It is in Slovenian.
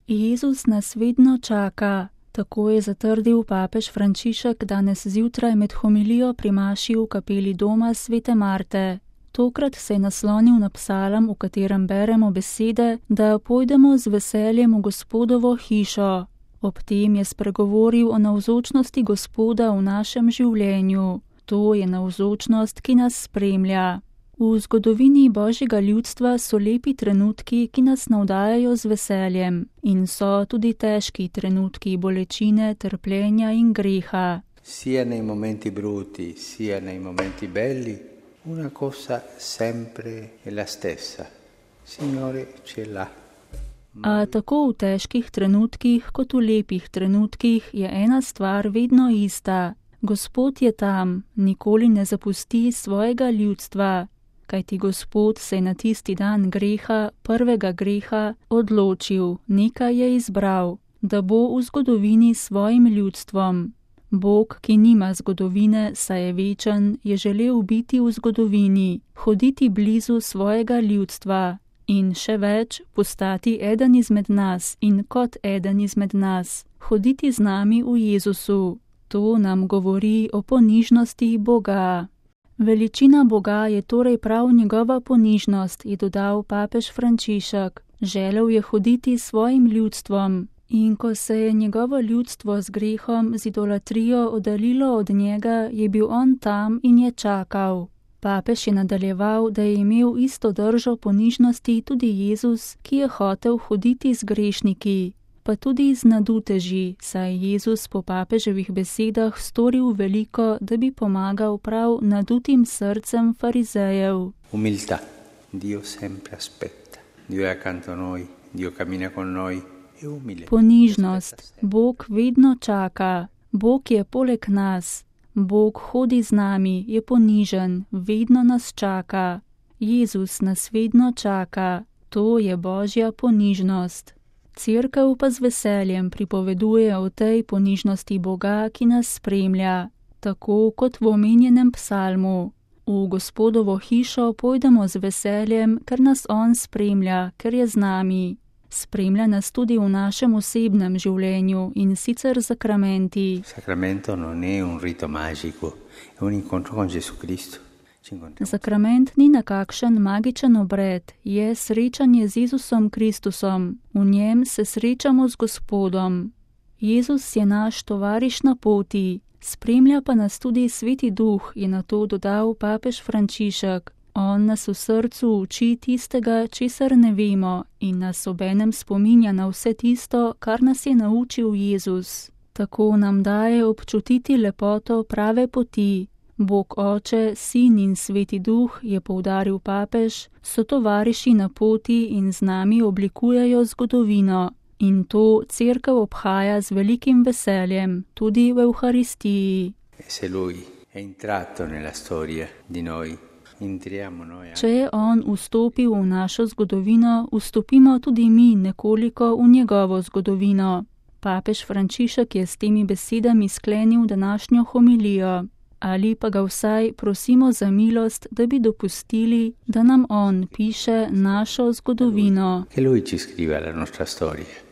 Jezus nas vedno čaka, tako je zatrdil papež Frančišek danes zjutraj med homilijo pri maši v kapeli doma svete Marte. Tokrat se je naslonil na psalm, v katerem beremo besede, da pojdemo z veseljem v Gospodovo hišo. Ob tem je spregovoril o navzočnosti Gospoda v našem življenju. To je navzočnost, ki nas spremlja. V zgodovini Božjega ljudstva so lepi trenutki, ki nas navdajajo z veseljem, in so tudi težki trenutki bolečine, trpljenja in greha. Sia nei momenti brutti, sia nei momenti belli, una cosa sempre è la stessa. Signore ce l'ha. A tako v težkih trenutkih kot v lepih trenutkih je ena stvar vedno ista. Gospod je tam, nikoli ne zapusti svojega ljudstva. Kajti Gospod se je na tisti dan greha, prvega greha, odločil, nekaj je izbral, da bo v zgodovini svojim ljudstvom. Bog, ki nima zgodovine, saj je večen, je želel biti v zgodovini, hoditi blizu svojega ljudstva in še več, postati eden izmed nas in kot eden izmed nas, hoditi z nami v Jezusu. To nam govori o ponižnosti Boga. Veličina Boga je torej prav njegova ponižnost, je dodal papež Frančišek. Želel je hoditi s svojim ljudstvom in ko se je njegovo ljudstvo z grehom, z idolatrijo oddaljilo od njega, je bil on tam in je čakal. Papež je nadaljeval, da je imel isto držo ponižnosti tudi Jezus, ki je hotel hoditi z grešniki, pa tudi z naduteži, saj je Jezus po papeževih besedah storil veliko, da bi pomagal prav nadutim srcem farizejev. Umiltà. Dio sempre aspetta. Dio è accanto a noi, Dio cammina con noi. È umile. Ponižnost. Bog vedno čaka. Bog je poleg nas. Bog hodi z nami, je ponižen, vedno nas čaka. Jezus nas vedno čaka. To je Božja ponižnost. Cerkev pa z veseljem pripoveduje o tej ponižnosti Boga, ki nas spremlja, tako kot v omenjenem psalmu. V Gospodovo hišo pojdemo z veseljem, ker nas On spremlja, ker je z nami. Spremlja nas tudi v našem osebnem življenju in sicer zakramenti. Sacramento non è un rito magico, è un incontro con Gesù Cristo. Sakrament ni nekakšen magičen obred, je srečanje z Jezusom Kristusom. V njem se srečamo z Gospodom. Jezus je naš tovariš na poti, spremlja pa nas tudi Sveti Duh, je na to dodal papež Frančišek. On nas v srcu uči tistega, česar ne vemo, in nas obenem spominja na vse tisto, kar nas je naučil Jezus. Tako nam daje občutiti lepoto prave poti. Bog Oče, Sin in Sveti Duh, je poudaril papež, so tovariši na poti in z nami oblikujejo zgodovino. In to cerkev obhaja z velikim veseljem, tudi v Evharistiji. Se lui è entrato nella storia di noi, entriamo noi. Če je on vstopil v našo zgodovino, vstopimo tudi mi nekoliko v njegovo zgodovino. Papež Frančišek je s temi besedami sklenil današnjo homilijo. Ali pa ga vsaj prosimo za milost, da bi dopustili, da nam on piše našo zgodovino. Che lui ci scriva la nostra storia.